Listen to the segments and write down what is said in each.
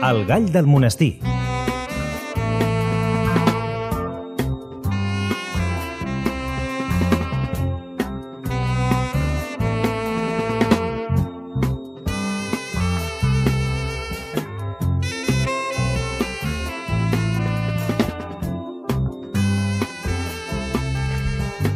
El gall del monestir.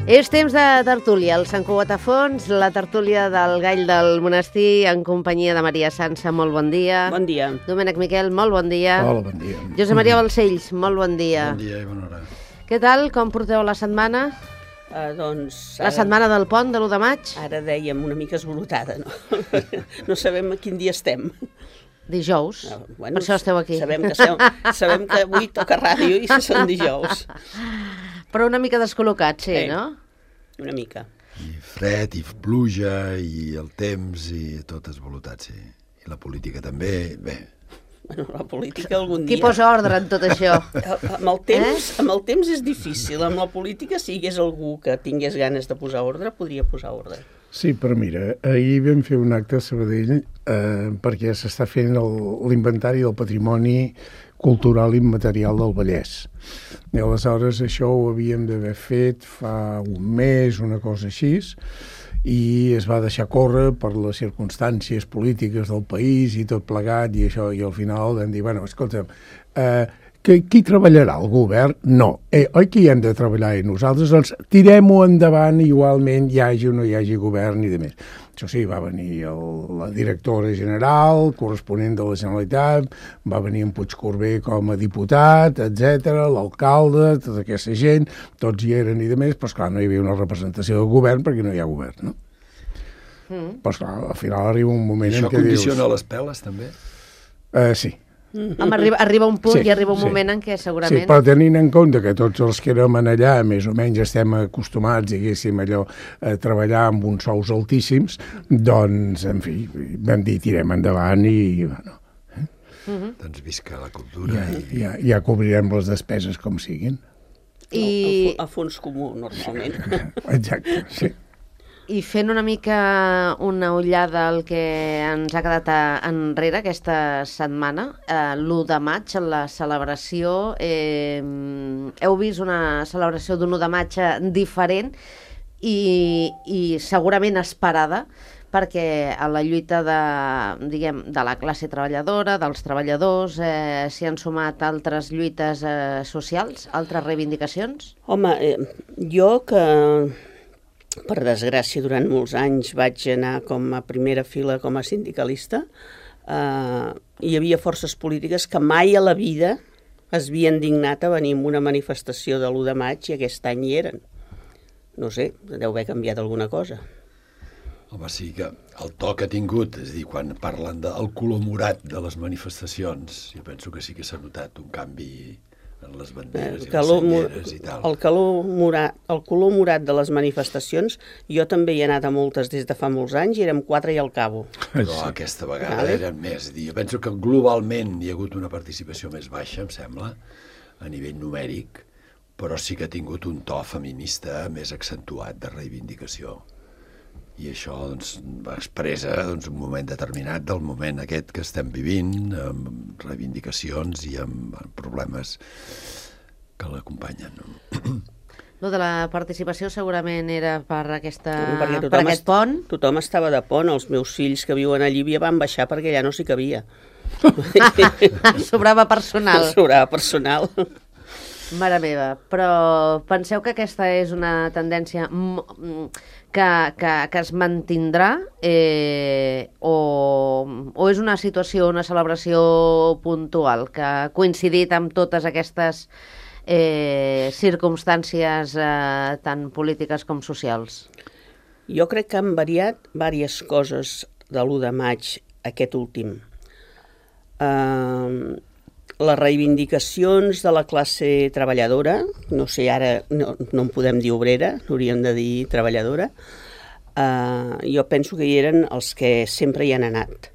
És temps de tertúlia, el Sant Cugat a fons, la tertúlia del gall del monestir en companyia de Maria Sança, molt bon dia. Bon dia. Domènec Miquel, molt bon dia. Hola, bon dia. Josep Maria Balcells, molt bon dia. Bon dia i bona hora. Què tal, com porteu la setmana? Doncs... La setmana del pont, de l'1 de maig? Ara dèiem una mica esvolotada, no? No sabem a quin dia estem. Dijous, per això esteu aquí. Sabem que avui toca ràdio i són dijous. Però una mica descol·locat, sí, no? Una mica. I fred, i pluja, i el temps, i tot esvolotat, sí. I la política també, bé. Bueno, la política algun dia... Qui posa ordre en tot això? Amb el temps és difícil. Amb la política, si hi hagués algú que tingués ganes de posar ordre, podria posar ordre. Sí, però mira, ahir vam fer un acte a Sabadell perquè s'està fent l'inventari del patrimoni cultural immaterial del Vallès. I aleshores això ho havíem d'haver fet fa un mes, una cosa així, i es va deixar córrer per les circumstàncies polítiques del país i tot plegat, i això, i al final vam dir, bueno, escolta'm, qui treballarà? El govern? No. Oi que hi hem de treballar i nosaltres? Doncs tirem-ho endavant igualment, hi hagi o no hi hagi govern i demés. Això sí, va venir la directora general, corresponent de la Generalitat, va venir en Puigcorbé com a diputat, etc, l'alcalde, tota aquesta gent, tots hi eren i demés, però esclar, no hi havia una representació del govern perquè no hi ha govern, no? Però esclar, al final arriba un moment en què dius... Això condiciona les peles, també? Sí. Arriba un punt i arriba un moment en què segurament... Sí, però tenint en compte que tots els que érem allà més o menys estem acostumats, diguéssim, allò, a treballar amb uns sous altíssims, doncs, en fi, vam dir, tirem endavant i, bueno... Doncs visca la cultura. Ja cobrirem les despeses com siguin. A fons comú, normalment. Exacte, sí. I fent una mica una ullada al que ens ha quedat enrere aquesta setmana, l'1 de maig, la celebració, heu vist una celebració d'1 de maig diferent i segurament esperada, perquè a la lluita de la classe treballadora, dels treballadors, s'hi han sumat altres lluites socials, altres reivindicacions? Home, jo que... Per desgràcia, durant molts anys vaig anar com a primera fila com a sindicalista. Hi havia forces polítiques que mai a la vida es havien dignat a venir en una manifestació de l'1 de maig i aquest any hi eren. No sé, deu haver canviat alguna cosa. Home, sí que el to que ha tingut, és a dir, quan parlen del color morat de les manifestacions, jo penso que sí que s'ha notat un canvi en les banderes i les senyeres i tal. El color morat de les manifestacions, jo també hi he anat a moltes des de fa molts anys i érem 4 i al cabo. Però aquesta vegada eren més. Jo penso que globalment hi ha hagut una participació més baixa, em sembla, a nivell numèric, però sí que ha tingut un to feminista més accentuat de reivindicació. I això doncs, expressa un moment determinat del moment aquest que estem vivint, amb reivindicacions i amb problemes que l'acompanyen. Lo de la participació segurament era per aquest pont. Tothom estava de pont, els meus fills que viuen a Llívia van baixar perquè allà no s'hi cabia. Sobrava personal. Sobrava personal. Mare meva, però penseu que aquesta és una tendència que es mantindrà o és una situació, una celebració puntual que ha coincidit amb totes aquestes circumstàncies tant polítiques com socials? Jo crec que han variat diverses coses de l'1 de maig aquest últim. Les reivindicacions de la classe treballadora, no sé, ara no en podem dir obrera, hauríem de dir treballadora, jo penso que hi eren els que sempre hi han anat.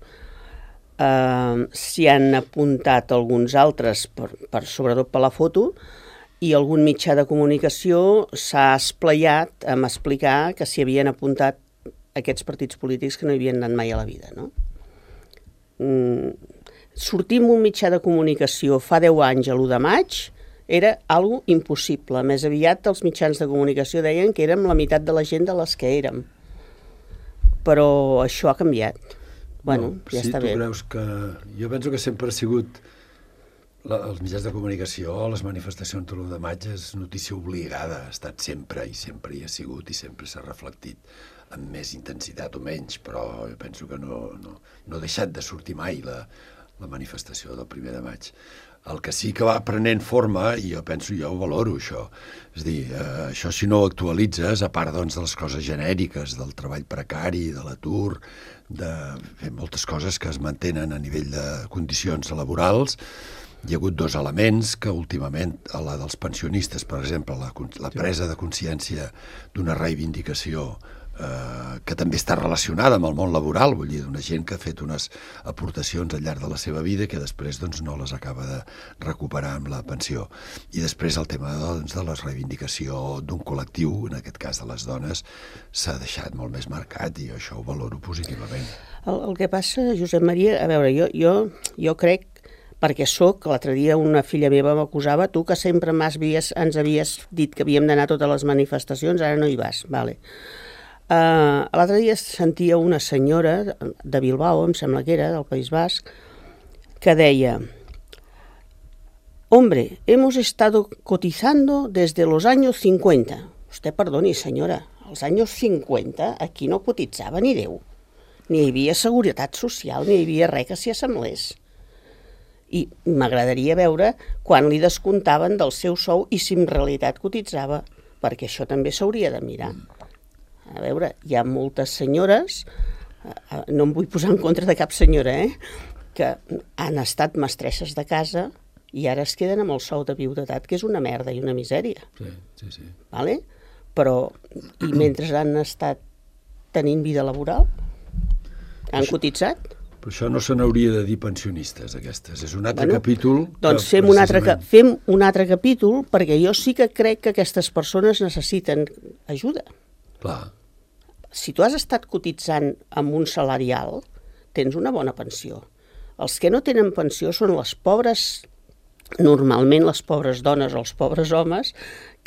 S'hi han apuntat alguns altres, sobretot per la foto, i algun mitjà de comunicació s'ha esplaiat en explicar que s'hi havien apuntat aquests partits polítics que no hi havien anat mai a la vida, no? sortir en un mitjà de comunicació fa 10 anys a l'1 de maig era algo impossible. Més aviat els mitjans de comunicació deien que érem la meitat de la gent de les que érem. Però això ha canviat. Bueno, ja està bé. Tu creus que... Jo penso que sempre ha sigut... Els mitjans de comunicació, les manifestacions de l'1 de maig és notícia obligada, ha estat sempre i sempre hi ha sigut i sempre s'ha reflectit amb més intensitat o menys, però jo penso que no ha deixat de sortir mai la manifestació del 1 de maig. El que sí que va prenent forma, i jo penso, jo ho valoro, això. És a dir, això si no ho actualitzes, a part doncs, de les coses genèriques, del treball precari, de l'atur, de moltes coses que es mantenen a nivell de condicions laborals, hi ha hagut 2 elements que últimament, a la dels pensionistes, per exemple, la presa de consciència d'una reivindicació que també està relacionada amb el món laboral, vull dir, d'una gent que ha fet unes aportacions al llarg de la seva vida que després doncs, no les acaba de recuperar amb la pensió. I després el tema doncs, de la reivindicació d'un col·lectiu, en aquest cas de les dones, s'ha deixat molt més marcat i això ho valoro positivament. El que passa, Josep Maria, a veure, jo crec, perquè l'altre dia una filla meva m'acusava, tu que sempre ens havies dit que havíem d'anar a totes les manifestacions, ara no hi vas, vale. L'altre dia sentia una senyora de Bilbao, em sembla que era, del País Basc, que deia: hombre, hemos estado cotizando desde los años 50. Usted perdoni, senyora, als anys 50 aquí no cotitzava ni Déu. Ni hi havia seguretat social, ni hi havia res que s'hi assemblés. I m'agradaria veure quan li descomptaven del seu sou i si en realitat cotitzava, perquè això també s'hauria de mirar. A veure, hi ha moltes senyores, no em vull posar en contra de cap senyora, que han estat mestresses de casa i ara es queden amb el sou de viudetat, que és una merda i una misèria. Sí. Vale? Però, i mentre han estat tenint vida laboral, han cotitzat? Però això no se n'hauria de dir pensionistes, aquestes. És un altre capítol... Doncs fem un altre capítol, perquè jo sí que crec que aquestes persones necessiten ajuda. Clar. Si tu has estat cotitzant amb un salarial, tens una bona pensió. Els que no tenen pensió són les pobres, normalment les pobres dones o els pobres homes,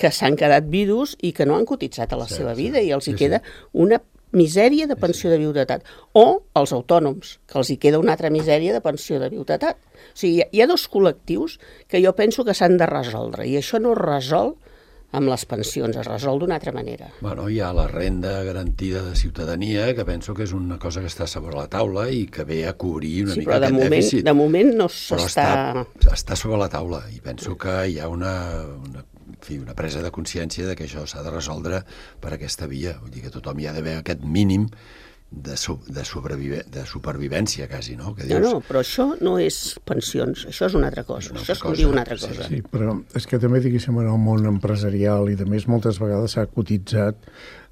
que s'han quedat vidus i que no han cotitzat a la seva vida i els hi queda una misèria de pensió de viudetat. O els autònoms, que els hi queda una altra misèria de pensió de viudetat. O sigui, hi ha 2 col·lectius que jo penso que s'han de resoldre, i això no es resol amb les pensions, es resol d'una altra manera. Bueno, hi ha la renda garantida de ciutadania, que penso que és una cosa que està sobre la taula i que ve a cobrir una mica aquest dèficit. De moment no s'està... Però està sobre la taula i penso que hi ha una presa de consciència de que això s'ha de resoldre per aquesta via. Vull dir que tothom hi ha d'haver aquest mínim de supervivència, quasi, no? Que dius... No, però això no és pensions, això és una altra cosa. Això és com diu una altra cosa. Sí, però és que també, diguéssim, en el món empresarial i, a més, moltes vegades s'ha cotitzat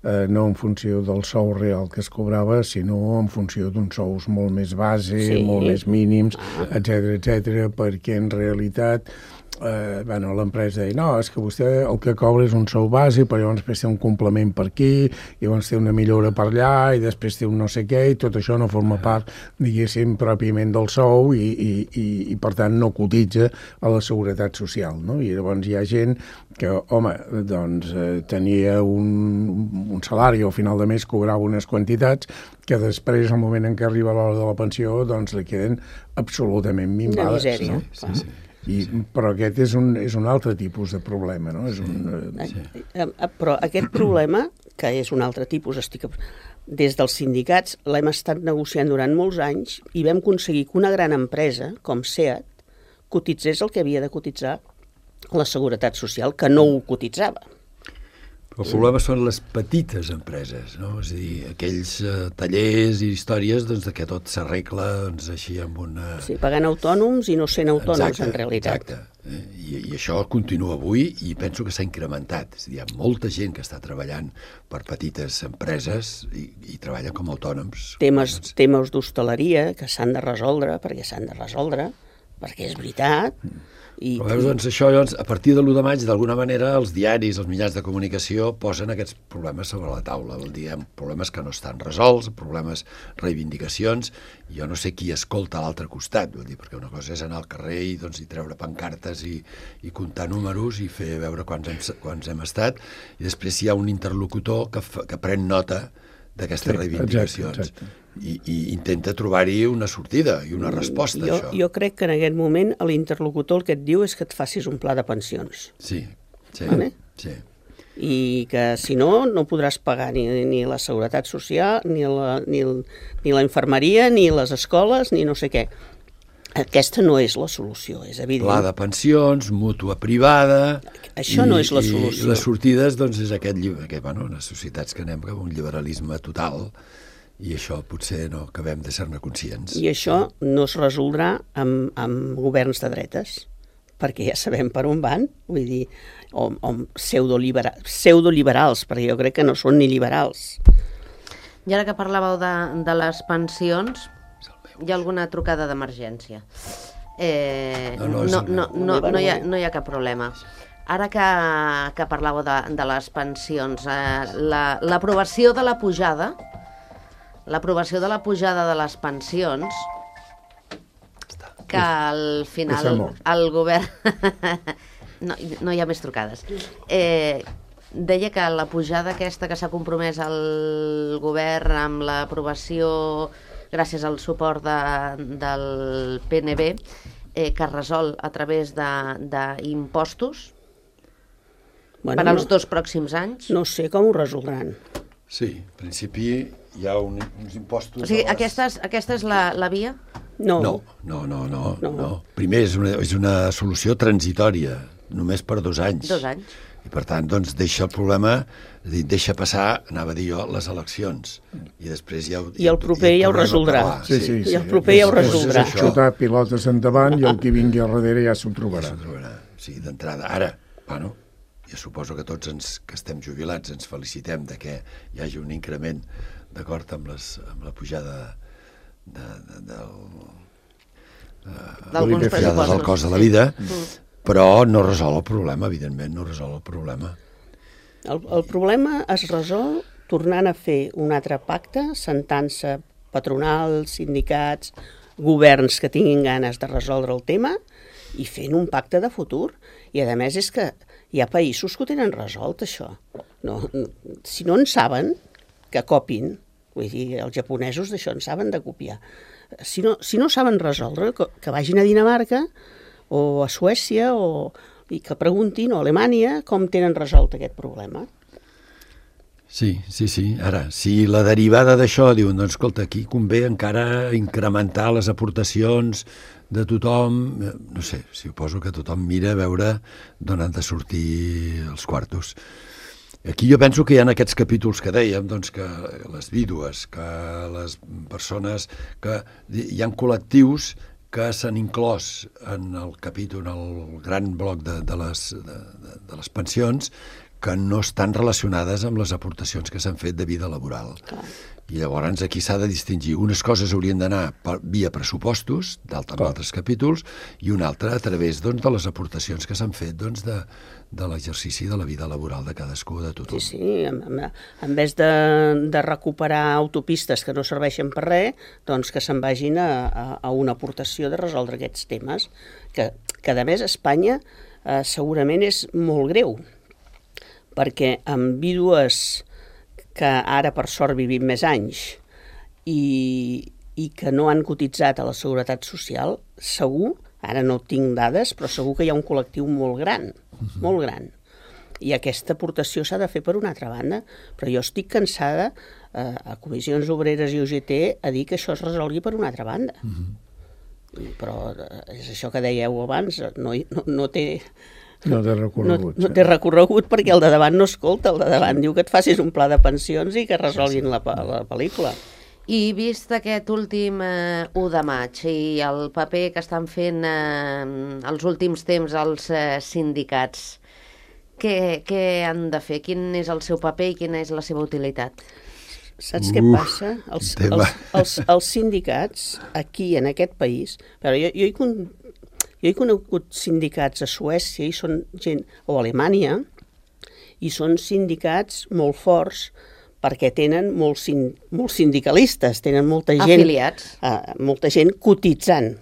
no en funció del sou real que es cobrava, sinó en funció d'uns sous molt més base, molt més mínims, etc, perquè en realitat l'empresa deia, no, és que vostè el que cobra és un sou bàsic, però llavors després té un complement per aquí, i llavors té una millora per allà, i després té un no sé què, i tot això no forma part, diguéssim, pròpiament del sou, i per tant no cotitza a la seguretat social, no? I llavors hi ha gent que, home, doncs tenia un salari, al final de mes cobrava unes quantitats, que després, al moment en què arriba l'hora de la pensió, doncs li queden absolutament minvades. Una misèria. Sí. Però aquest és un altre tipus de problema, no? Però aquest problema, que és un altre tipus, des dels sindicats l'hem estat negociant durant molts anys i vam aconseguir que una gran empresa, com SEAT, cotitzés el que havia de cotitzar la Seguretat Social, que no ho cotitzava. El problema són les petites empreses, no? És a dir, aquells tallers i històries doncs, que tot s'arregla doncs, així amb una... Sí, pagant autònoms i no sent autònoms, en realitat. Exacte. I això continua avui i penso que s'ha incrementat. És a dir, hi ha molta gent que està treballant per petites empreses i treballa com a autònoms. Temes d'hostaleria que s'han de resoldre, perquè és veritat, Però veus, doncs, això, a partir de l'1 de maig, d'alguna manera, els diaris, els mitjans de comunicació posen aquests problemes sobre la taula. Vol dir, problemes que no estan resolts, problemes, reivindicacions. Jo no sé qui escolta a l'altre costat, vol dir, perquè una cosa és anar al carrer i, doncs, i treure pancartes i comptar números i fer veure quants hem estat, i després hi ha un interlocutor que pren nota d'aquestes reivindicacions. Exacte. I intenta trobar-hi una sortida i una resposta a això. Jo crec que en aquest moment l'interlocutor el que et diu és que et facis un pla de pensions. Sí. Vale? Sí. I que si no, no podràs pagar ni la seguretat social, ni la infermeria, ni les escoles, ni no sé què. Aquesta no és la solució, és evident. Pla de pensions, mútua privada... Això no és la solució. I les sortides, doncs, és les societats que anem cap a un liberalisme total, i això potser no acabem de ser-ne conscients. I això no es resoldrà amb governs de dretes, perquè ja sabem per on van, vull dir, o pseudoliberals, perquè jo crec que no són ni liberals. I ara que parlàveu de les pensions, hi ha alguna trucada d'emergència? No hi ha cap problema. Ara que parlàveu de les pensions, l'aprovació de la pujada de les pensions, que al final el govern... No hi ha més trucades. Deia que la pujada aquesta que s'ha compromès el govern amb l'aprovació, gràcies al suport del PNB, que es resol a través d'impostos per als 2 pròxims anys. No sé com ho resoldran. Sí, en principi hi ha uns impostos... O sigui, aquesta és la via? No. Primer, és una solució transitòria, només per 2 anys. 2 anys. I per tant, doncs, deixa el problema, deixa passar, anava a dir jo, les eleccions. I després ja... I el proper ja ho resoldrà. Sí. I el proper ja ho resoldrà. Xutar pilotes endavant i el que vingui al darrere ja s'ho trobarà. Sí, d'entrada. Ara, bueno, jo suposo que tots que estem jubilats ens felicitem de que hi hagi un increment d'acord amb la pujada del cost de la vida, però no resol el problema, evidentment, no resol el problema. El problema es resol tornant a fer un altre pacte, sentant-se patronals, sindicats, governs que tinguin ganes de resoldre el tema i fent un pacte de futur. I a més és que hi ha països que ho tenen resolt, això. Si no en saben, que copin. Vull dir, els japonesos d'això en saben de copiar. Si no saben resoldre, que vagin a Dinamarca o a Suècia i que preguntin, o a Alemanya, com tenen resolt aquest problema. Sí. Ara, si la derivada d'això diuen, doncs, escolta, aquí convé encara incrementar les aportacions de tothom, no sé, suposo que tothom mira a veure d'on han de sortir els quartos. Aquí jo penso que hi ha aquests capítols que dèiem, doncs, que les vídues, que les persones, que hi ha col·lectius que s'han inclòs en el capítol, en el gran bloc de les pensions, que no estan relacionades amb les aportacions que s'han fet de vida laboral. Clar. I llavors aquí s'ha de distingir. Unes coses haurien d'anar via pressupostos, d'altres capítols, i una altra a través, doncs, de les aportacions que s'han fet, doncs, de l'exercici de la vida laboral de cadascú, de tothom. Sí, en vez de recuperar autopistes que no serveixen per res, doncs que se'n vagin a una aportació de resoldre aquests temes, que a més Espanya segurament és molt greu, perquè amb vídues que ara per sort vivim més anys i que no han cotitzat a la Seguretat Social, segur, ara no tinc dades, però segur que hi ha un col·lectiu molt gran, molt gran. I aquesta aportació s'ha de fer per una altra banda, però jo estic cansada a Comissions Obreres i UGT a dir que això es resolgui per una altra banda. Però és això que dèieu abans, no té... No té recorregut. No té recorregut perquè el de davant no escolta, el de davant diu que et facis un pla de pensions i que resolguin la pel·lícula. I vist aquest últim 1 de maig i el paper que estan fent els últims temps els sindicats, què han de fer? Quin és el seu paper i quina és la seva utilitat? Saps què passa? Els sindicats aquí en aquest país... Però jo Jo he conegut sindicats a Suècia i són gent, o a Alemanya, i són sindicats molt forts perquè tenen molts sindicalistes, tenen molta gent... Afiliats. Molta gent cotitzant.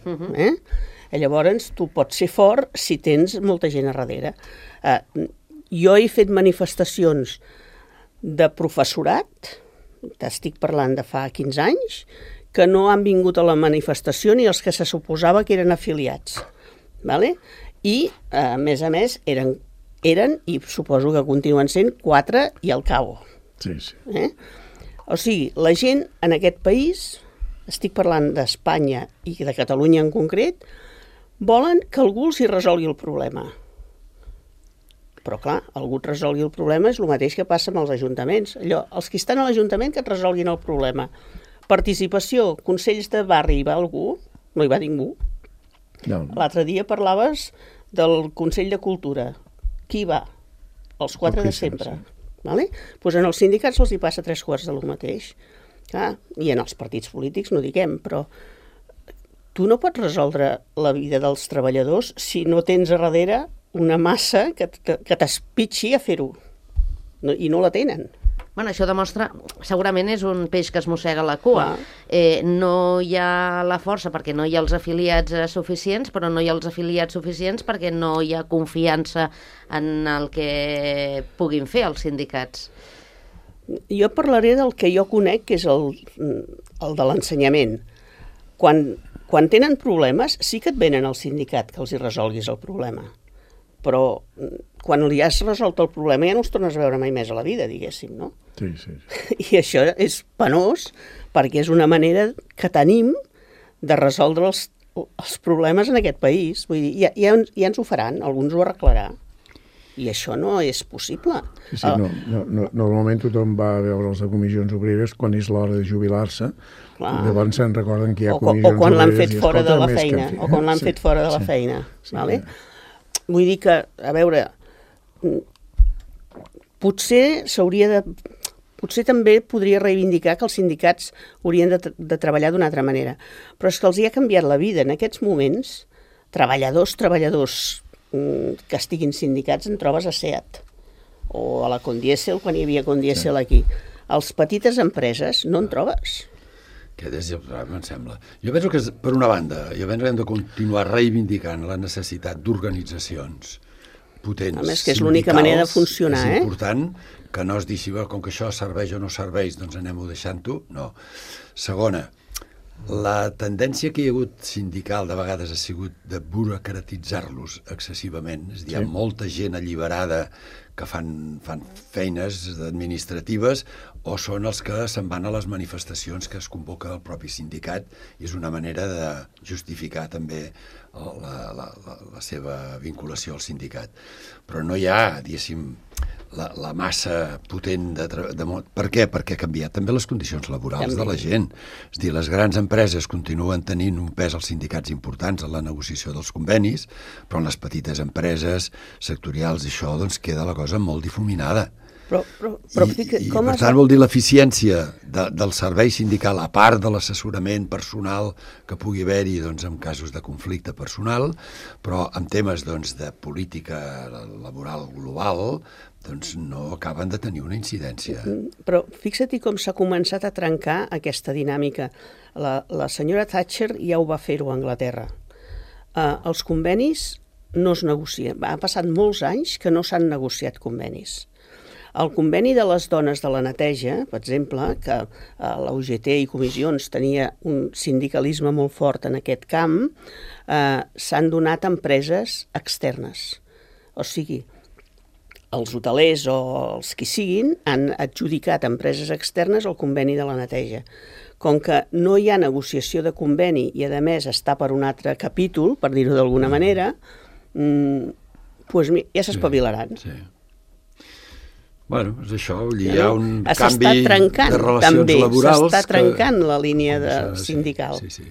Llavors, tu pots ser fort si tens molta gent a darrere. Jo he fet manifestacions de professorat, t'estic parlant de fa 15 anys, que no han vingut a la manifestació ni els que se suposava que eren afiliats. Vale? I, a més, eren i suposo que continuen sent 4 i al cabo. Sí, sí. O sigui, la gent en aquest país, estic parlant d'Espanya i de Catalunya en concret, volen que algú els hi resolgui el problema. Però clar, algú et resolgui el problema és el mateix que passa amb els ajuntaments. Allò, els que estan a l'Ajuntament que et resolguin el problema. Participació, consells de barri, hi va algú? No hi va ningú. No. L'altre dia parlaves del Consell de Cultura. Qui hi va? Els 4 de sempre. Sí. Vale? Pues en els sindicats els hi passa 3/4 del mateix. I en els partits polítics no diguem, però tu no pots resoldre la vida dels treballadors si no tens a darrere una massa que t'espitxi a fer-ho. I no la tenen. Bueno, això demostra, segurament és un peix que es mossega la cua. No hi ha la força perquè no hi ha els afiliats suficients, però no hi ha els afiliats suficients perquè no hi ha confiança en el que puguin fer els sindicats. Jo parlaré del que jo conec, que és el de l'ensenyament. Quan tenen problemes, sí que et venen al sindicat que els hi resolguis el problema. Però quan li has resolt el problema ja no els tornes a veure mai més a la vida, diguéssim, no? Sí, sí. I això és penós perquè és una manera que tenim de resoldre els problemes en aquest país. Vull dir, ja ens ho faran, alguns ho arreglarà. I això no és possible. Sí, normalment tothom va a veure els de comissions obreres quan és l'hora de jubilar-se. Llavors se'n recorden que hi ha comissions obreres. O quan l'han fet fora de la feina. O quan l'han fet fora de la feina. Vale? Vull dir que, a veure, potser també podria reivindicar que els sindicats haurien de treballar d'una altra manera. Però és que els hi ha canviat la vida. En aquests moments, treballadors que estiguin sindicats en trobes a SEAT o a la Condiesel, quan hi havia Condiesel aquí. Els petites empreses no en trobes. Aquest és el problema, em sembla. Jo penso que, per una banda, hem de continuar reivindicant la necessitat d'organitzacions potents, a més, que és l'única manera de funcionar. És important que no es deixi, com que això serveix o no serveix, doncs anem-ho deixant-ho. No. Segona, la tendència que hi ha hagut sindical de vegades ha sigut de burocratitzar-los excessivament. És a dir, hi ha molta gent alliberada que fan feines administratives o són els que se'n van a les manifestacions que es convoca el propi sindicat i és una manera de justificar també la seva vinculació al sindicat. Però no hi ha, diguéssim, la massa potent per què? Perquè ha canviat també les condicions laborals de la gent. És a dir, les grans empreses continuen tenint un pes als sindicats importants en la negociació dels convenis, però en les petites empreses sectorials això doncs queda la cosa molt difuminada. Però I per tant vol dir l'eficiència del servei sindical, a part de l'assessorament personal que pugui haver-hi doncs, en casos de conflicte personal, però en temes doncs, de política laboral global doncs, no acaben de tenir una incidència. Però fixa't com s'ha començat a trencar aquesta dinàmica. La senyora Thatcher ja ho va fer-ho a Anglaterra. Els convenis no es negocien. Ha passat molts anys que no s'han negociat convenis. El conveni de les dones de la neteja, per exemple, que la UGT i comissions tenia un sindicalisme molt fort en aquest camp, s'han donat a empreses externes. O sigui, els hotelers o els qui siguin han adjudicat a empreses externes el conveni de la neteja. Com que no hi ha negociació de conveni i, a més, està per un altre capítol, per dir-ho d'alguna manera, ja s'espavilaran. Sí. Bueno, és això, hi ha un canvi de relacions laborals. S'està trencant la línia sindical. Sí.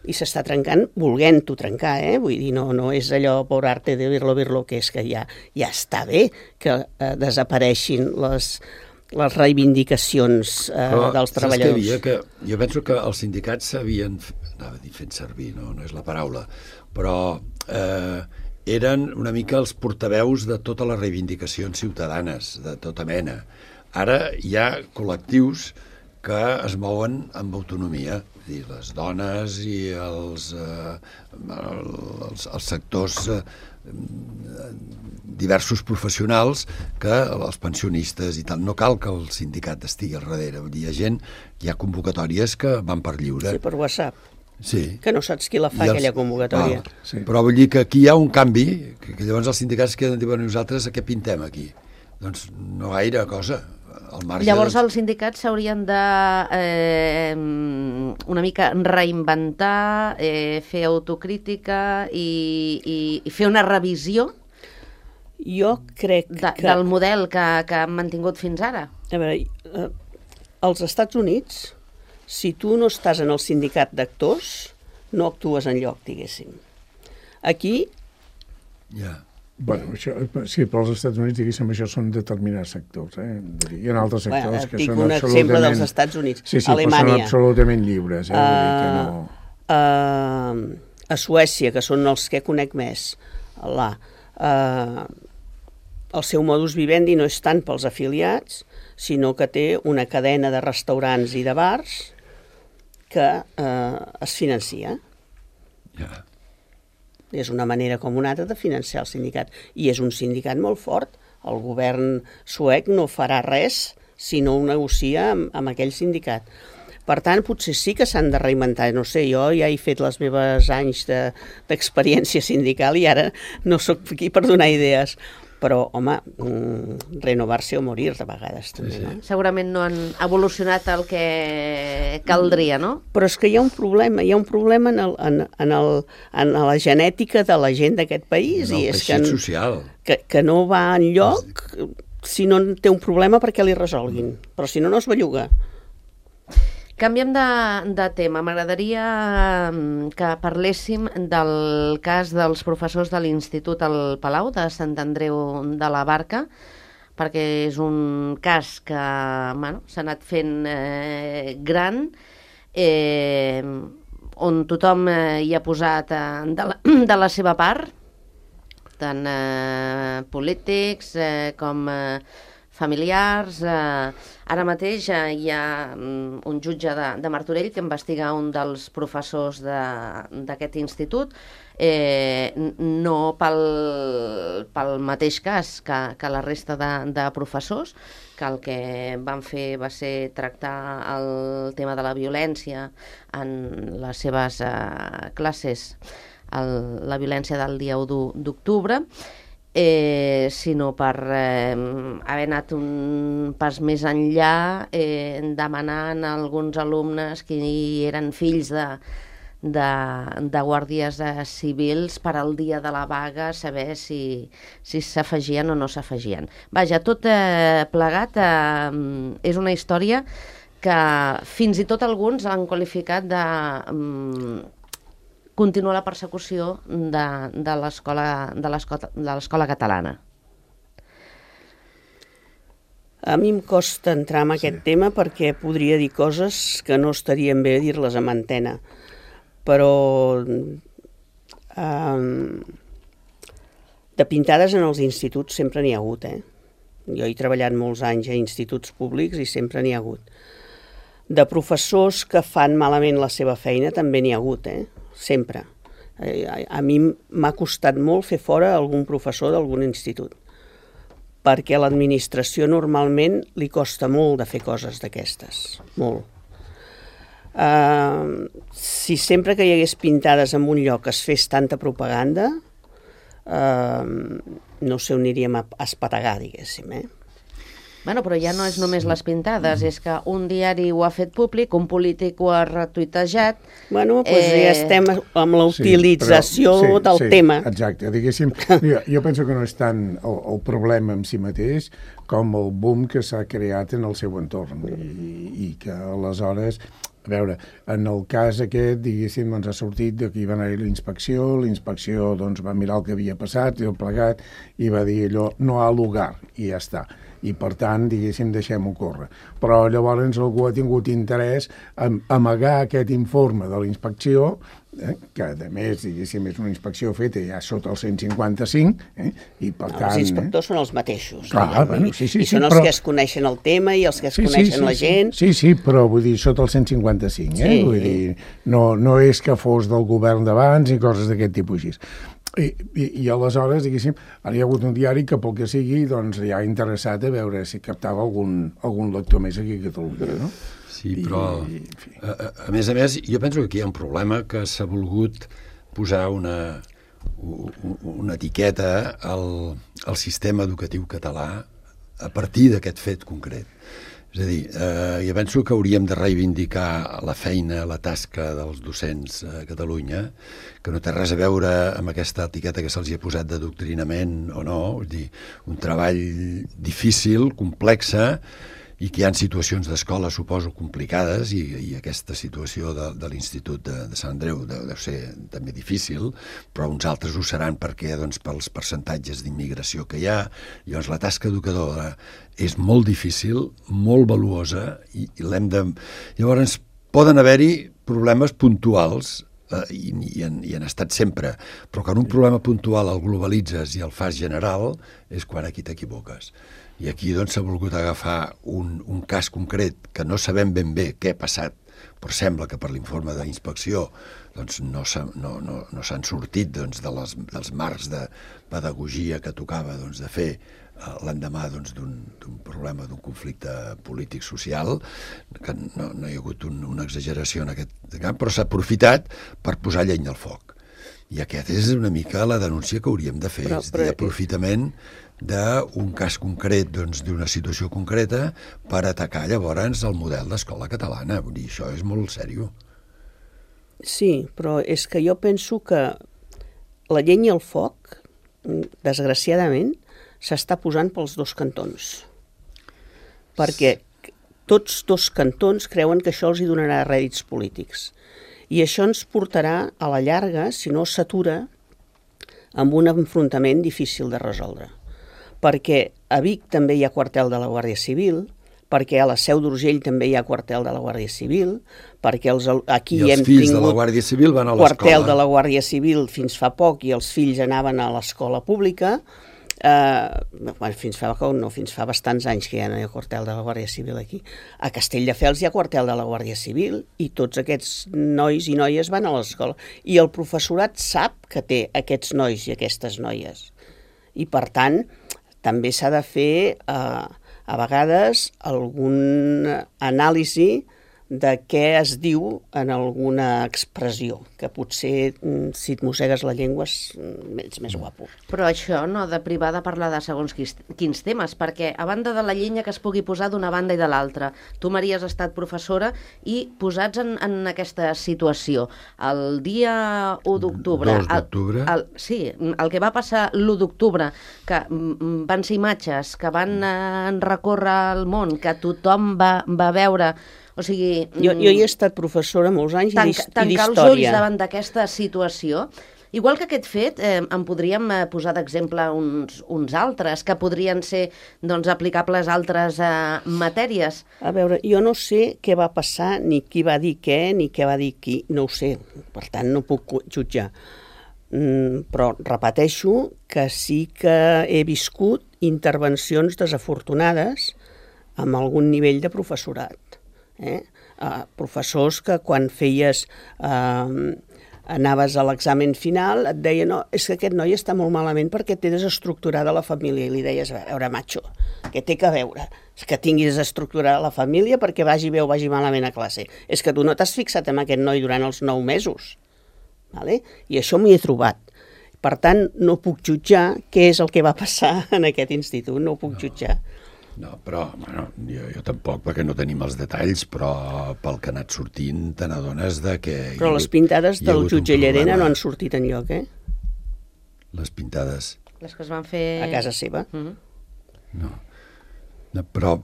I s'està trencant volent-ho trencar, Vull dir, no és allò por arte de virlo, que és que ja està bé que desapareixin les reivindicacions dels treballadors. Jo penso que els sindicats s'havien, anava a dir fent servir, no és la paraula, però eren una mica els portaveus de totes les reivindicacions ciutadanes, de tota mena. Ara hi ha col·lectius que es mouen amb autonomia, és dir, les dones i els sectors diversos professionals, que els pensionistes i tal. No cal que el sindicat estigui al darrere. Vull dir, hi ha convocatòries que van per lliure. Sí, per WhatsApp. Sí. Que no saps qui la fa, aquella convocatòria. Sí. Però vull dir que aquí hi ha un canvi, que llavors els sindicats queden dient, nosaltres a què pintem aquí? Doncs no gaire cosa. Llavors els sindicats s'haurien de una mica reinventar, fer autocrítica i fer una revisió jo crec del model que han mantingut fins ara. A veure, als Estats Units, si tu no estàs en el sindicat d'actors, no actues enlloc, diguéssim. Aquí... Ja. Bueno, això, sí, però als Estats Units, diguéssim, això són determinats sectors. Hi ha altres sectors que són absolutament... un exemple dels Estats Units. Sí, Alemanya. Però són absolutament lliures. Vull dir que no... A Suècia, que són els que conec més, el seu modus vivendi no és tant pels afiliats, sinó que té una cadena de restaurants i de bars que es financia. Ja. És una manera com una altra de financiar el sindicat. I és un sindicat molt fort. El govern suec no farà res si no ho negocia amb aquell sindicat. Per tant, potser sí que s'han de reinventar. No sé, jo ja he fet les meves anys d'experiència sindical i ara no sóc aquí per donar idees. Però, home, renovar-se o morir de vegades també, no? Segurament no han evolucionat el que caldria, no? Però és que hi ha un problema en la genètica de la gent d'aquest país. En el teixit social. Que no va enlloc si no té un problema perquè li resolguin. Però si no, no es belluga. Canviem de tema. M'agradaria que parléssim del cas dels professors de l'Institut al Palau de Sant Andreu de la Barca, perquè és un cas que s'ha anat fent gran, on tothom hi ha posat de la seva part, tant polítics com familiars. Ara mateix hi ha un jutge de Martorell que investiga un dels professors d'aquest institut, no pel mateix cas que la resta de professors, que el que van fer va ser tractar el tema de la violència en les seves classes, la violència del dia 1 d'octubre, sinó per haver anat un pas més enllà, demanant a alguns alumnes que eren fills de guàrdies civils per al dia de la vaga saber si s'afegien o no s'afegien. Vaja, tot plegat és una història que fins i tot alguns han qualificat de continuar la persecució de l'escola catalana. A mi em costa entrar en aquest tema perquè podria dir coses que no estarien bé dir-les en antena, però de pintades en els instituts sempre n'hi ha hagut. Jo he treballat molts anys a instituts públics i sempre n'hi ha hagut. De professors que fan malament la seva feina també n'hi ha hagut, sempre. A mi m'ha costat molt fer fora algun professor d'algun institut, perquè a l'administració normalment li costa molt de fer coses d'aquestes, molt. Si sempre que hi hagués pintades en un lloc es fes tanta propaganda, no sé on aniríem a espategar, diguéssim, Bueno, però ja no és només les pintades, és que un diari ho ha fet públic, un polític ho ha retuitejat... Bueno, doncs ja estem amb la utilització del tema. Exacte, diguéssim, jo penso que no és tant el problema en si mateix com el boom que s'ha creat en el seu entorn i que aleshores... A veure, en el cas aquest, diguéssim, ha sortit que hi va anar l'inspecció doncs va mirar el que havia passat i el plegat i va dir allò, no ha lugar, i ja està. i per tant, diguéssim, deixem-ho córrer. Però llavors algú ha tingut interès en amagar aquest informe de la inspecció, que a més, diguéssim, és una inspecció feta ja sota el 155, i per tant... Els inspectors són els mateixos. Clar, bueno, sí, I són els que es coneixen el tema i els que es coneixen la gent. Sí, però vull dir, sota el 155, vull dir, no és que fos del govern d'abans i coses d'aquest tipus així. I aleshores, diguéssim, ara hi ha hagut un diari que pel que sigui, doncs ja interessat a veure si captava algun lector més aquí a Catalunya, no? Sí, però a més, jo penso que aquí hi ha un problema que s'ha volgut posar una etiqueta al sistema educatiu català a partir d'aquest fet concret. És a dir, jo penso que hauríem de reivindicar la feina, la tasca dels docents a Catalunya, que no té res a veure amb aquesta etiqueta que se'ls ha posat d'adoctrinament o no, és a dir, un treball difícil, complexa, i que hi ha situacions d'escola, suposo, complicades, i aquesta situació de l'Institut de Sant Andreu deu ser també difícil, però uns altres ho seran perquè, doncs, pels percentatges d'immigració que hi ha. Llavors, la tasca educadora és molt difícil, molt valuosa, i l'hem de... Llavors, poden haver-hi problemes puntuals, i han estat sempre, però quan un problema puntual el globalitzes i el fas general és quan aquí t'equivoques. I aquí doncs s'ha volgut agafar un cas concret que no sabem ben bé què ha passat, però sembla que per l'informe d'inspecció doncs no s'han sortit doncs, dels marcs de pedagogia que tocava doncs, de fer l'endemà doncs, d'un problema, d'un conflicte polític-social, que no hi ha hagut una exageració en aquest camp, però s'ha aprofitat per posar llenya al foc. I aquest és una mica la denúncia que hauríem de fer, és a dir, aprofitament d'un cas concret, doncs, d'una situació concreta, per atacar llavors el model d'escola catalana. Vull dir, això és molt seriós. Sí, però és que jo penso que la llenya al foc, desgraciadament, s'està posant pels dos cantons. Perquè tots dos cantons creuen que això els hi donarà rèdits polítics. I això ens portarà, a la llarga, si no s'atura, amb un enfrontament difícil de resoldre. Perquè a Vic també hi ha quartel de la Guàrdia Civil, perquè a la Seu d'Urgell també hi ha quartel de la Guàrdia Civil, perquè aquí hem tingut... I els fills de la Guàrdia Civil van a l'escola. Quartel de la Guàrdia Civil fins fa poc i els fills anaven a l'escola pública. Fins fa bastants anys que ja no hi ha quartel de la Guàrdia Civil aquí. A Castelldefels hi ha quartel de la Guàrdia Civil i tots aquests nois i noies van a l'escola. I el professorat sap que té aquests nois i aquestes noies. I per tant, també s'ha de fer a vegades algun anàlisi de què es diu en alguna expressió, que potser si et mossegues la llengua ets més guapo. Però això no ha de privar de parlar de segons quins temes, perquè a banda de la llenya que es pugui posar d'una banda i de l'altra, tu, Maria, has estat professora i posats en aquesta situació. El dia 1 d'octubre... 2 d'octubre? Sí, el que va passar l'1 d'octubre, que van ser imatges que van recórrer el món, que tothom va veure... O sigui, jo hi he estat professora molts anys i d'història. Tancar els ulls davant d'aquesta situació. Igual que aquest fet, en podríem posar d'exemple uns altres, que podrien ser aplicables a altres matèries. A veure, jo no sé què va passar, ni qui va dir què, ni què va dir qui, no ho sé. Per tant, no puc jutjar. Però repeteixo que sí que he viscut intervencions desafortunades amb algun nivell de professorat. Professors que quan feies anaves a l'examen final et deien, no, és que aquest noi està molt malament perquè té desestructurada la família, i li deies, a veure, macho, què té que veure? És que tingui desestructurada la família perquè vagi bé o vagi malament a classe. És que tu no t'has fixat en aquest noi durant els 9 mesos. Vale? I això m'hi he trobat. Per tant, no puc jutjar què és el que va passar en aquest institut, no ho puc jutjar. No, però jo tampoc, perquè no tenim els detalls, però pel que ha anat sortint te n'adones de que... Però les pintades del jutge Llarena no han sortit enlloc, Les pintades... Les que es van fer... A casa seva. No, però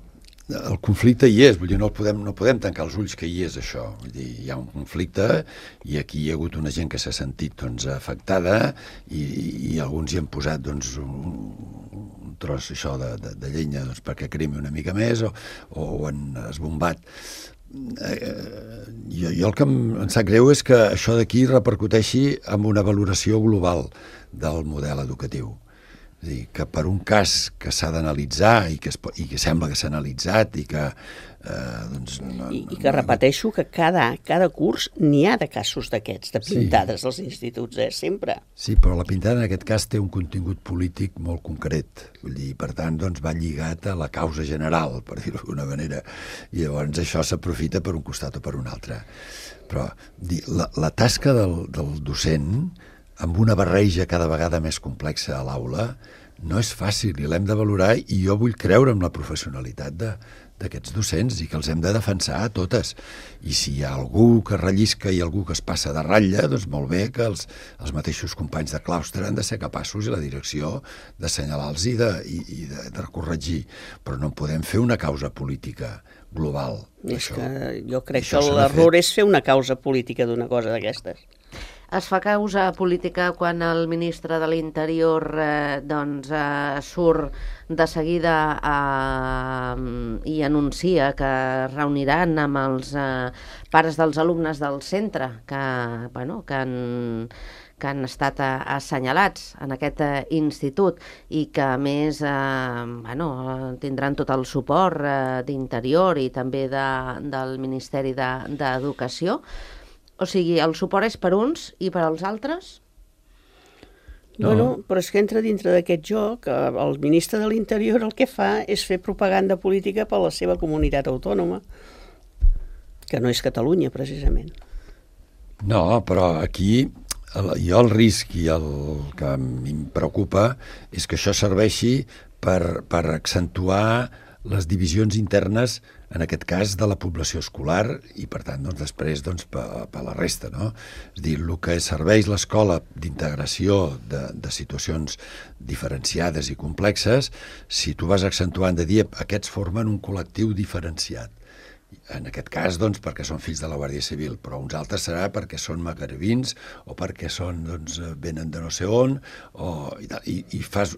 el conflicte hi és, vull dir, no podem tancar els ulls que hi és això. Vull dir, hi ha un conflicte i aquí hi ha hagut una gent que s'ha sentit afectada i alguns hi han posat un tros això de llenya doncs, perquè cremi una mica més o ho han esbombat. Jo el que em sap greu és que això d'aquí repercuteixi en una valoració global del model educatiu. És a dir, que per un cas que s'ha d'analitzar i que sembla que s'ha analitzat i que I que repeteixo que cada curs n'hi ha de casos d'aquests, de pintades als instituts, sempre. Sí, però la pintada en aquest cas té un contingut polític molt concret, vull dir, per tant, doncs va lligat a la causa general, per dir-ho d'alguna manera, i llavors això s'aprofita per un costat o per un altre. Però la tasca del docent, amb una barreja cada vegada més complexa a l'aula, no és fàcil i l'hem de valorar, i jo vull creure en la professionalitat d'aquests docents i que els hem de defensar a totes. I si hi ha algú que rellisca i algú que es passa de ratlla, doncs molt bé que els mateixos companys de claustre han de ser capaços, i la direcció, d'assenyalar-los i de corregir. Però no podem fer una causa política global. És que jo crec que l'error és fer una causa política d'una cosa d'aquestes. Es fa causa política quan el ministre de l'Interior surt de seguida i anuncia que es reuniran amb els pares dels alumnes del centre que han estat assenyalats en aquest institut i que a més tindran tot el suport d'Interior i també del Ministeri d'Educació. O sigui, el suport és per uns i per als altres? Bueno, però és que entra dintre d'aquest joc. El ministre de l'Interior el que fa és fer propaganda política per a la seva comunitat autònoma, que no és Catalunya, precisament. No, però aquí jo el risc i el que em preocupa és que això serveixi per accentuar les divisions internes, en aquest cas, de la població escolar i, per tant, després per la resta, no? És a dir, el que serveix l'escola d'integració de situacions diferenciades i complexes, si tu vas accentuant de dir aquests formen un col·lectiu diferenciat. En aquest cas, doncs, perquè són fills de la Guàrdia Civil, però uns altres serà perquè són magrebins o perquè venen de no sé on, i fas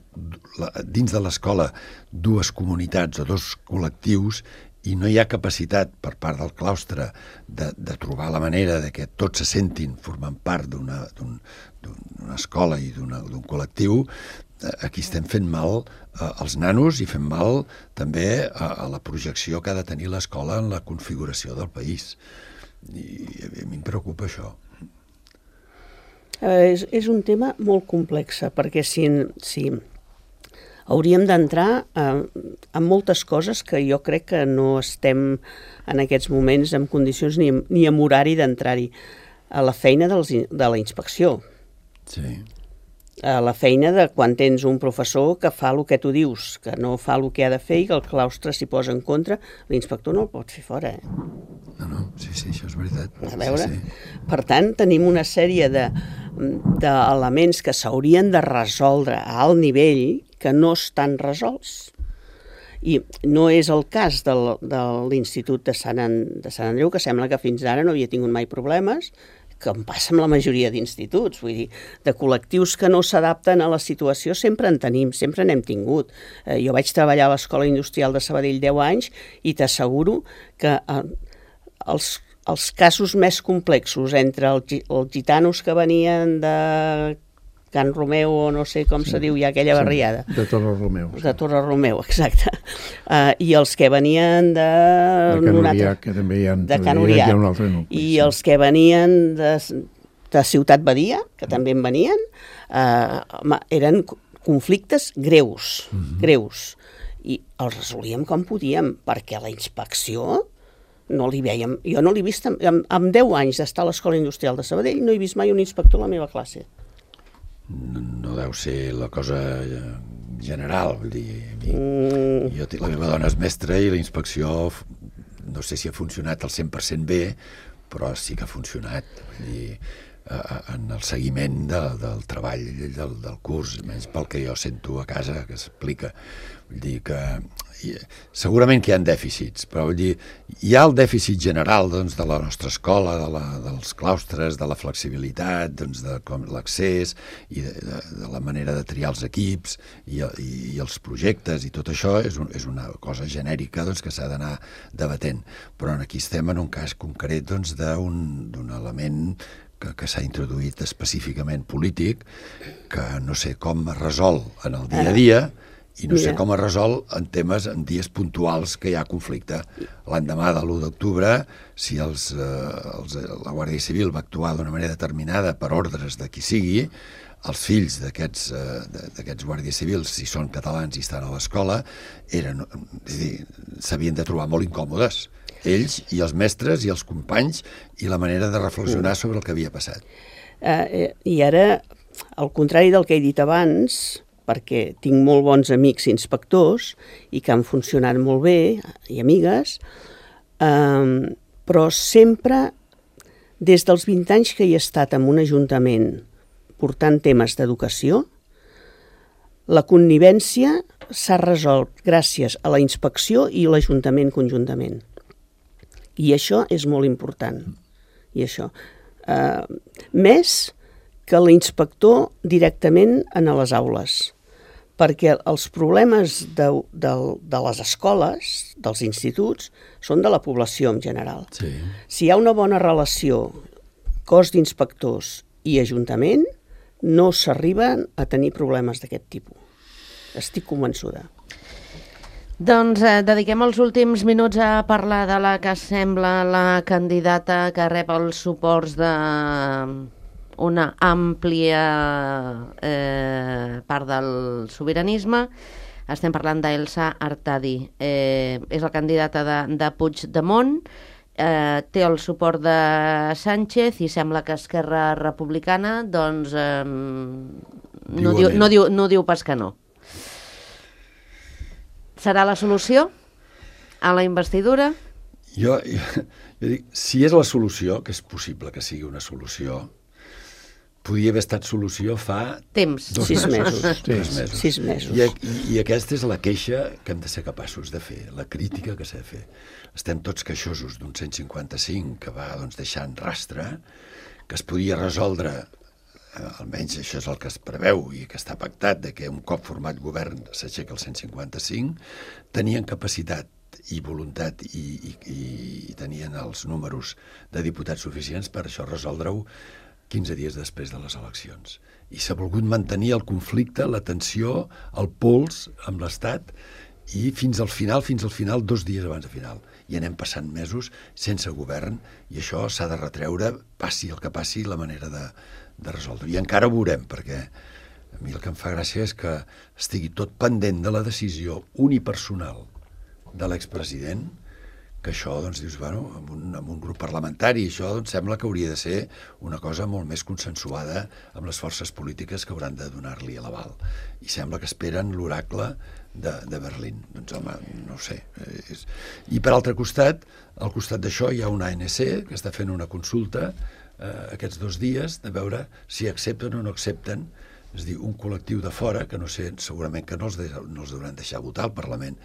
dins de l'escola dues comunitats o dos col·lectius i no hi ha capacitat per part del claustre de trobar la manera de que tots se sentin formant part d'una escola i d'un col·lectiu. Aquí estem fent mal als nanos i fem mal també a la projecció que ha de tenir l'escola en la configuració del país. I a mi em preocupa això. És un tema molt complex, perquè si hauríem d'entrar en moltes coses que jo crec que no estem en aquests moments en condicions ni amb horari d'entrar-hi. A la feina de la inspecció. Sí. A la feina de quan tens un professor que fa el que tu dius, que no fa el que ha de fer i que el claustre s'hi posa en contra, l'inspector no el pot fer fora. No, sí, això és veritat. A veure? Sí. Per tant, tenim una sèrie d'elements que s'haurien de resoldre a alt nivell que no estan resolts. I no és el cas de l'Institut de Sant Andreu, que sembla que fins ara no havia tingut mai problemes, que em passa amb la majoria d'instituts, vull dir, de col·lectius que no s'adapten a la situació sempre en tenim, sempre n'hem tingut. Jo vaig treballar a l'Escola Industrial de Sabadell 10 anys i t'asseguro que els casos més complexos entre els gitanos que venien de Can Romeu o no sé com se diu ja aquella barriada. De Torre Romeu. De Torre Romeu, exacte. I els que venien de Can Uriac, que també hi ha un altre nucli. I els que venien de Ciutat Badia, que també en venien, eren conflictes greus, greus. I els resolíem com podíem, perquè la inspecció no li veiem. Jo no l'he vist, amb 10 anys d'estar a l'Escola Industrial de Sabadell, no he vist mai un inspector a la meva classe. No deu ser la cosa general, vull dir, la meva dona és mestra i la inspecció no sé si ha funcionat al 100% bé, però sí que ha funcionat, vull dir, en el seguiment del treball del curs, menys pel que jo sento a casa que s'explica. Vull dir que segurament que hi ha dèficits, però vull dir, hi ha el dèficit general doncs, de la nostra escola, dels claustres, de la flexibilitat, doncs, de com l'accés i de la manera de triar els equips i els projectes, i tot això és una cosa genèrica doncs, que s'ha d'anar debatent. Però aquí estem en un cas concret doncs, d'un element que s'ha introduït específicament polític, que no sé com es resol en el dia a dia, i no sé com es resol en dies puntuals que hi ha conflicte. L'endemà de l'1 d'octubre, si la Guàrdia Civil va actuar d'una manera determinada per ordres de qui sigui, els fills d'aquests guàrdies civils, si són catalans i estan a l'escola, s'havien de trobar molt incòmodes, ells i els mestres i els companys, i la manera de reflexionar sobre el que havia passat. I ara, al contrari del que he dit abans, perquè tinc molt bons amics inspectors i que han funcionat molt bé, i amigues, però sempre, des dels 20 anys que hi he estat en un ajuntament portant temes d'educació, la connivència s'ha resolt gràcies a la inspecció i l'Ajuntament conjuntament. I això és molt important. I això. Més que l'inspector directament en les aules, perquè els problemes de les escoles, dels instituts, són de la població en general. Sí. Si hi ha una bona relació cos d'inspectors i ajuntament, no s'arriben a tenir problemes d'aquest tipus. Estic convençuda. Doncs dediquem els últims minuts a parlar de la que sembla la candidata que rep els suports d'una àmplia part del sobiranisme. Estem parlant d'Elsa Artadi. És la candidata de Puigdemont, té el suport de Sánchez i sembla que Esquerra Republicana doncs, no diu pas que no. Serà la solució a la investidura? Jo dic, si és la solució, que és possible que sigui una solució, podia haver estat solució fa... Temps. 6 mesos. 3 mesos. 6 mesos. I aquesta és la queixa que hem de ser capaços de fer, la crítica que s'ha de fer. Estem tots queixosos d'un 155 que va deixant rastre, que es podia resoldre, almenys això és el que es preveu i que està pactat, de que un cop format govern s'aixeca el 155, tenien capacitat i voluntat i tenien els números de diputats suficients per això resoldre-ho 15 dies després de les eleccions. I s'ha volgut mantenir el conflicte, la tensió, el pols amb l'Estat, i fins al final, 2 dies abans de final. I anem passant mesos sense govern, i això s'ha de retreure, passi el que passi, la manera de resoldre. I encara ho veurem, perquè a mi el que em fa gràcia és que estigui tot pendent de la decisió unipersonal de l'expresident, que això, doncs, dius, bueno, amb un grup parlamentari, això doncs, sembla que hauria de ser una cosa molt més consensuada amb les forces polítiques que hauran de donar-li l'aval. I sembla que esperen l'oracle de Berlín. Doncs, home, no ho sé. I per altre costat, al costat d'això hi ha una ANC que està fent una consulta aquests 2 dies de veure si accepten o no accepten, és a dir, un col·lectiu de fora, que no sé, segurament que no els deuran deixar votar al Parlament,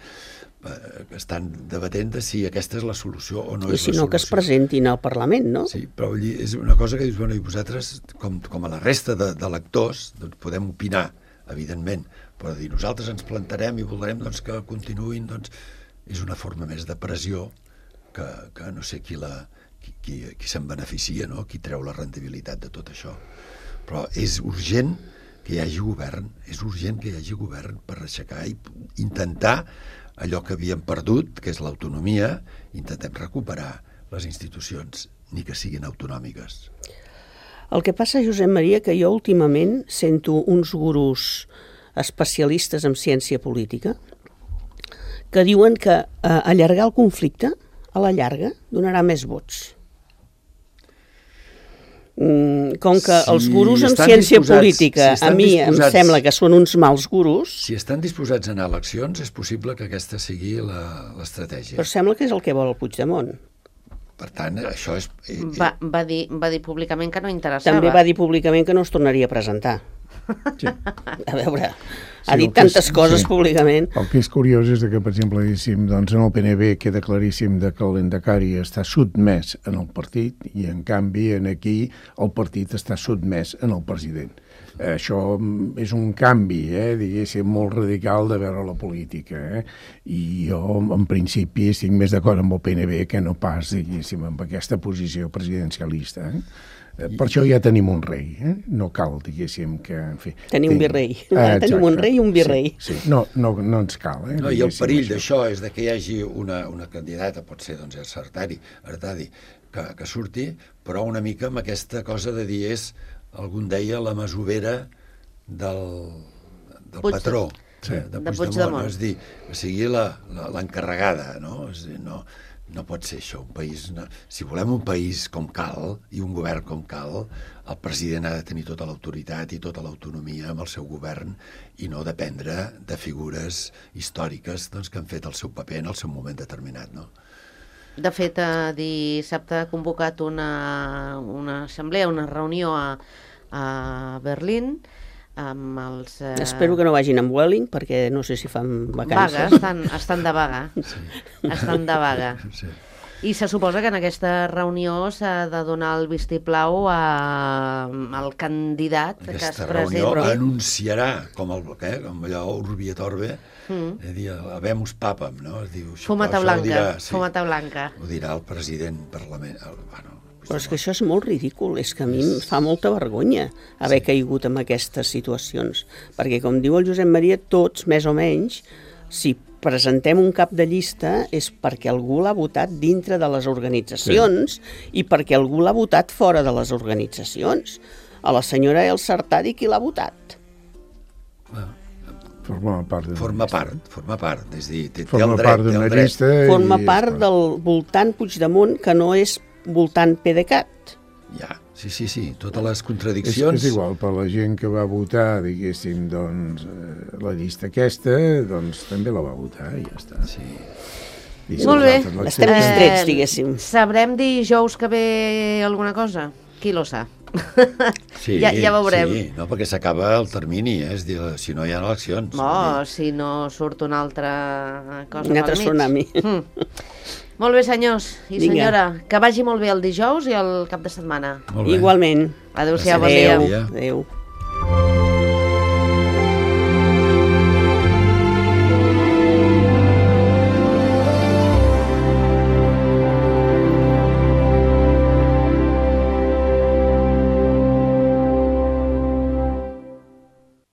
que estan debatent de si aquesta és la solució o no és la solució. I si no, que es presentin al Parlament, no? Sí, però és una cosa que dius, bueno, i vosaltres, com a la resta de lectors, doncs podem opinar, evidentment, però dir, nosaltres ens plantarem i voldrem doncs, que continuïn, doncs, és una forma més de pressió que no sé qui se'n beneficia, no? Qui treu la rendibilitat de tot això. Però és urgent que hi hagi govern, per aixecar i intentar allò que havíem perdut, que és l'autonomia, intentem recuperar les institucions, ni que siguin autonòmiques. El que passa, Josep Maria, que jo últimament sento uns gurus especialistes en ciència política que diuen que allargar el conflicte a la llarga donarà més vots. Com que els gurus en ciència política a mi em sembla que són uns mals gurus. Si estan disposats a anar a eleccions, és possible que aquesta sigui l'estratègia. Però sembla que és el que vol el Puigdemont. Per tant, això és... Va dir públicament que no interessava. També va dir públicament que no es tornaria a presentar. Sí. A veure, ha dit tantes coses públicament. El que és curiós és que, per exemple, diguéssim, doncs en el PNB queda claríssim que el Lehendakari està sotmès en el partit i, en canvi, aquí el partit està sotmès en el president. Això és un canvi, diguéssim, molt radical de veure la política. I jo, en principi, estic més d'acord amb el PNB que no pas, diguéssim, amb aquesta posició presidencialista. Per això ja tenim un rei. No cal, diguéssim, que... En fi, tenim un virrei. Tenim un rei i un virrei. Sí. No ens cal. No, i el perill d'això és que hi hagi una candidata, pot ser doncs, Artadi, que surti, però una mica amb aquesta cosa de dir algun deia la masovera del patró, de Puigdemont, és a dir, que sigui l'encarregada, no? És a dir, no pot ser això, un país... Si volem un país com cal, i un govern com cal, el president ha de tenir tota l'autoritat i tota l'autonomia amb el seu govern i no dependre de figures històriques que han fet el seu paper en el seu moment determinat, no? De fet, dissabte ha convocat una assemblea, una reunió a Berlín amb els... Espero que no vagin amb Welling, perquè no sé si fan vacances. Vaga, estan de vaga. Sí. Estan de vaga. Sí. I se suposa que en aquesta reunió s'ha de donar el vistiplau al candidat que es presenti. Aquesta reunió anunciarà, com allò Urbi et Orbe, dir, habemus papam, no? Fumata blanca. Ho dirà el president parlament. Però és que això és molt ridícul, és que a mi em fa molta vergonya haver caigut en aquestes situacions, perquè com diu el Josep Maria, tots, més o menys, si presentem un cap de llista és perquè algú l'ha votat dintre de les organitzacions i perquè algú l'ha votat fora de les organitzacions. A la senyora Elsa Artadi, qui l'ha votat? Forma part. És dir, té el dret. Forma part del voltant Puigdemont, que no és voltant PDeCAT. Ja, sí, totes les contradiccions... És igual, per la gent que va votar, diguéssim, doncs, la llista aquesta, doncs també la va votar i ja està. Sí. Molt bé. Estem distrets, diguéssim. Sabrem dijous que ve alguna cosa? Qui lo sap? Sí, ja veurem. Sí, no, perquè s'acaba el termini, és dir, si no hi ha eleccions. Si no surt una altra cosa un altre tsunami. Molt bé, senyors i senyora, que vagi molt bé el dijous i el cap de setmana. Igualment. Adéu-siau, bon dia. Adéu.